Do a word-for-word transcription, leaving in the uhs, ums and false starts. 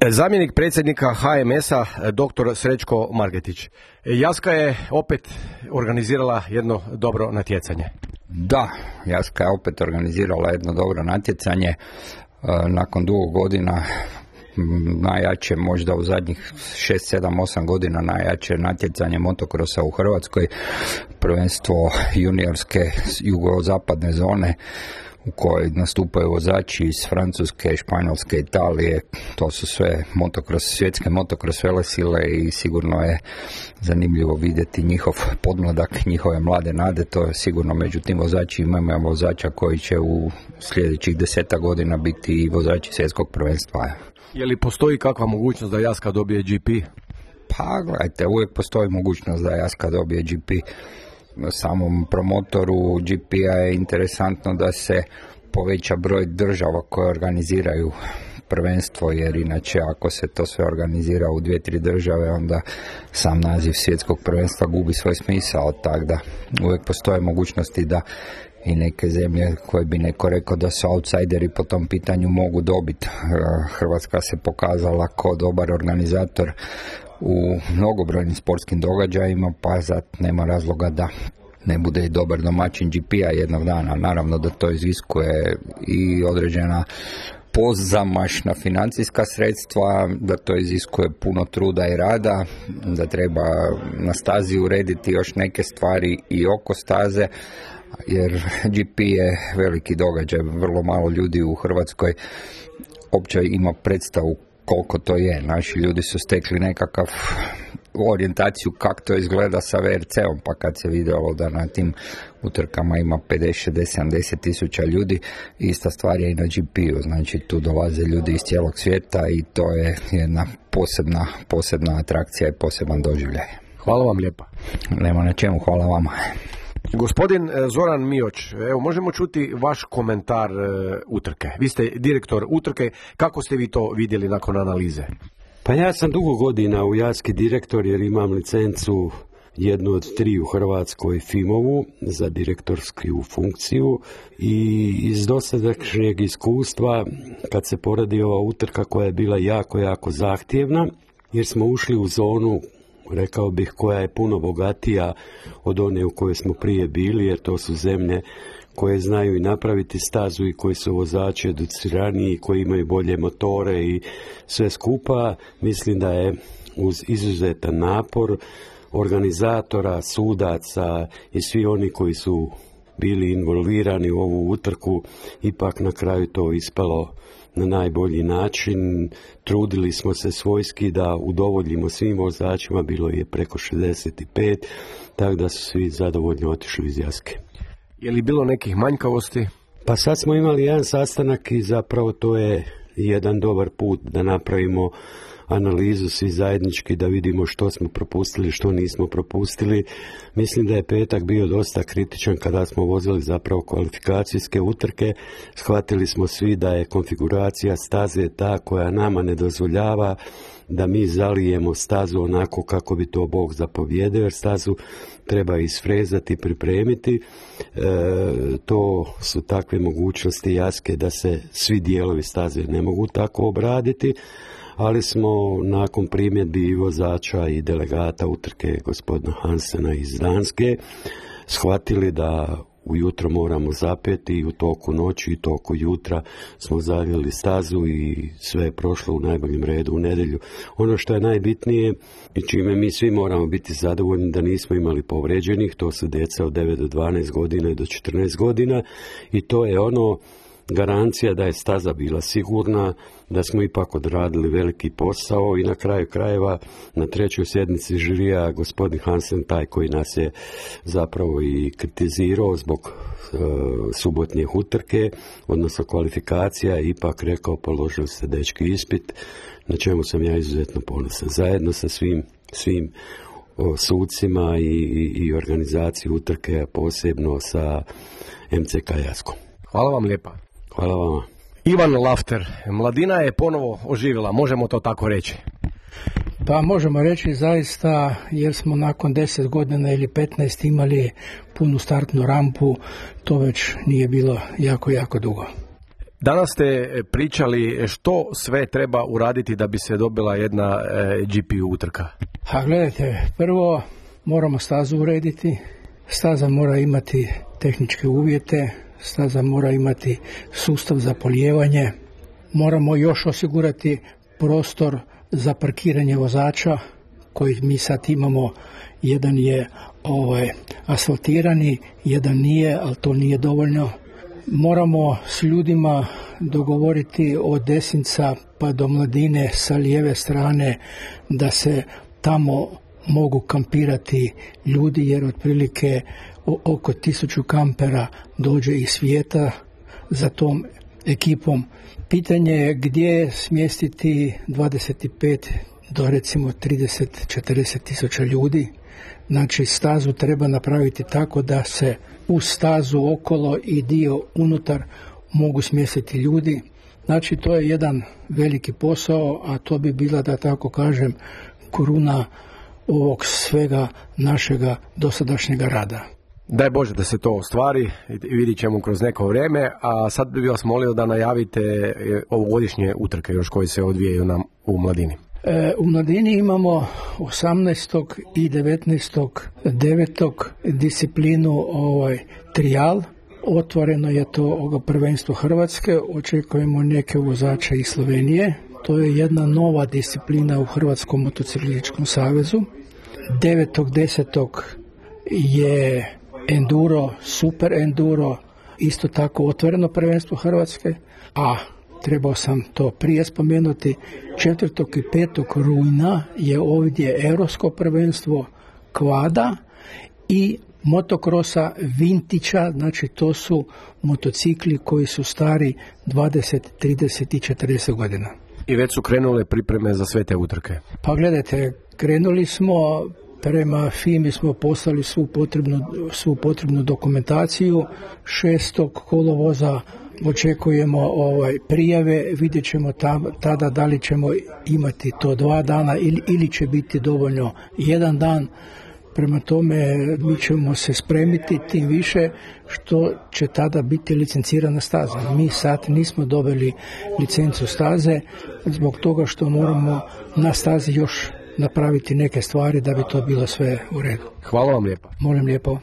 Zamjenik predsjednika H M S-a dr. Srećko Margetić. Jaska je opet organizirala jedno dobro natjecanje. Da, Jaska je opet organizirala jedno dobro natjecanje. Nakon dugo godina, najjače možda u zadnjih šest, sedam, osam godina najjače natjecanje motokrosa u Hrvatskoj, prvenstvo juniorske jugozapadne zone u kojoj nastupaju vozači iz Francuske, Španjolske, Italije. To su sve motokros, svjetske motokros velesile i sigurno je zanimljivo vidjeti njihov podmladak, njihove mlade nade. To je sigurno među tim vozačima imamo vozača koji će u sljedećih deseta godina biti i vozači svjetskog prvenstva. Je li postoji kakva mogućnost da Jaska dobije G P? Pa gledajte, uvijek postoji mogućnost da Jaska dobije G P. Samom promotoru G P-a je interesantno da se poveća broj država koje organiziraju prvenstvo, jer inače ako se to sve organizira u dvije, tri države, onda sam naziv svjetskog prvenstva gubi svoj smisao, tako da uvijek postoje mogućnosti da i neke zemlje koje bi neko rekao da su outsideri po tom pitanju mogu dobiti. Hrvatska se pokazala kao dobar organizator u mnogobrojnim sportskim događajima, pa zato nema razloga da ne bude i dobar domaćin G P-a jednog dana. Naravno da to iziskuje i određena pozamašna financijska sredstva, da to iziskuje puno truda i rada, da treba na stazi urediti još neke stvari i oko staze, jer G P je veliki događaj, vrlo malo ljudi u Hrvatskoj uopće ima predstavu koliko to je. Naši ljudi su stekli nekakav orijentaciju kako to izgleda sa V R C-om, pa kad se vidjelo da na tim utrkama ima pedeset, šezdeset, sedamdeset tisuća ljudi, ista stvar je i na G P-u, znači tu dolaze ljudi iz cijelog svijeta i to je jedna posebna, posebna atrakcija i poseban doživljaj. Hvala vam lijepa. Nema na čemu, hvala vama. Gospodin Zoran Mioć, evo možemo čuti vaš komentar e, utrke. Vi ste direktor utrke, kako ste vi to vidjeli nakon analize? Pa ja sam dugo godina u Jaski direktor jer imam licencu jednu od tri u Hrvatskoj F I M-ovu za direktorsku funkciju i iz dosadašnjeg iskustva kad se poradi ova utrka koja je bila jako, jako zahtjevna jer smo ušli u zonu, rekao bih, koja je puno bogatija od one u kojoj smo prije bili, jer to su zemlje koje znaju i napraviti stazu i koji su vozači educiraniji, koji imaju bolje motore i sve skupa. Mislim da je uz izuzetan napor organizatora, sudaca i svi oni koji su bili involvirani u ovu utrku, ipak na kraju to ispalo na najbolji način. Trudili smo se svojski da udovoljimo svim vozačima, bilo je preko šezdeset pet, tako da su svi zadovoljno otišli iz Jaske. Je li bilo nekih manjkavosti? Pa sad smo imali jedan sastanak i zapravo to je jedan dobar put da napravimo analizu svi zajednički, da vidimo što smo propustili, što nismo propustili. Mislim da je petak bio dosta kritičan kada smo vozili zapravo kvalifikacijske utrke. Shvatili smo svi da je konfiguracija staze ta koja nama ne dozvoljava da mi zalijemo stazu onako kako bi to Bog zapovjedio, jer stazu treba isfrezati, pripremiti. E, to su takve mogućnosti Jaske da se svi dijelovi staze ne mogu tako obraditi, ali smo nakon primjedbi i vozača i delegata utrke gospodina Hansena iz Danske shvatili da ujutro moramo zapeti i u toku noći i toku jutra smo zavili stazu i sve je prošlo u najboljem redu u nedjelju. Ono što je najbitnije i čime mi svi moramo biti zadovoljni da nismo imali povređenih, to su djeca od devet do dvanaest godina i do četrnaest godina i to je ono garancija da je staza bila sigurna, da smo ipak odradili veliki posao i na kraju krajeva na trećoj sjednici žirija gospodin Hansen, taj koji nas je zapravo i kritizirao zbog e, subotnje utrke, odnosno kvalifikacija, ipak rekao položili ste dečki ispit, na čemu sam ja izuzetno ponosan. Zajedno sa svim, svim o, sucima i, i, i organizaciji utrke, a posebno sa M C K Jaskom. Hvala vam lijepa. Hvala vama. Ivan Lafter, mladina je ponovo oživjela, možemo to tako reći? Pa možemo reći zaista, jer smo nakon deset godina ili petnaest imali punu startnu rampu, to već nije bilo jako, jako dugo. Danas ste pričali što sve treba uraditi da bi se dobila jedna G P utrka. A gledajte, prvo moramo stazu urediti, staza mora imati tehničke uvjete, staza mora imati sustav za polijevanje, moramo još osigurati prostor za parkiranje vozača koji mi sad imamo, jedan je ovaj, asfaltirani, jedan nije, ali to nije dovoljno. Moramo s ljudima dogovoriti od Desinca pa do Mladine sa lijeve strane da se tamo mogu kampirati ljudi, jer otprilike oko tisuću kampera dođe iz svijeta za tom ekipom. Pitanje je gdje smjestiti dvadeset pet do recimo trideset do četrdeset tisuća ljudi. Znači stazu treba napraviti tako da se u stazu okolo i dio unutar mogu smjestiti ljudi. Znači to je jedan veliki posao, a to bi bila, da tako kažem, kruna ovog svega našega dosadašnjega rada. Daj Bože da se to ostvari, vidit ćemo kroz neko vrijeme, a sad bih vas molio da najavite ovogodišnje utrke još koje se odvijaju nam u Mladini. E, u Mladini imamo osamnaestog i devetnaestog devetog disciplinu ovaj, trijal. Otvoreno je to ovo prvenstvo Hrvatske, očekujemo neke vozače iz Slovenije. To je jedna nova disciplina u Hrvatskom motociklističkom savezu. devetog desetog je enduro, super enduro, isto tako otvoreno prvenstvo Hrvatske, a trebao sam to prije spomenuti, četvrtog i petog rujna je ovdje europsko prvenstvo kvada i motokrosa vintića, znači to su motocikli koji su stari dvadeset, trideset i četrdeset godina. I već su krenule pripreme za sve te utrke? Pa gledajte, krenuli smo, prema F I M I smo poslali svu potrebnu, svu potrebnu dokumentaciju. šestog kolovoza očekujemo ovaj, prijave, vidjet ćemo tam, tada da li ćemo imati to dva dana ili, ili će biti dovoljno jedan dan. Prema tome mi ćemo se spremiti, tim više što će tada biti licencirana staza. Mi sad nismo dobili licencu staze zbog toga što moramo na stazi još napraviti neke stvari da bi to bilo sve u redu. Hvala vam lijepa. Molim lijepo.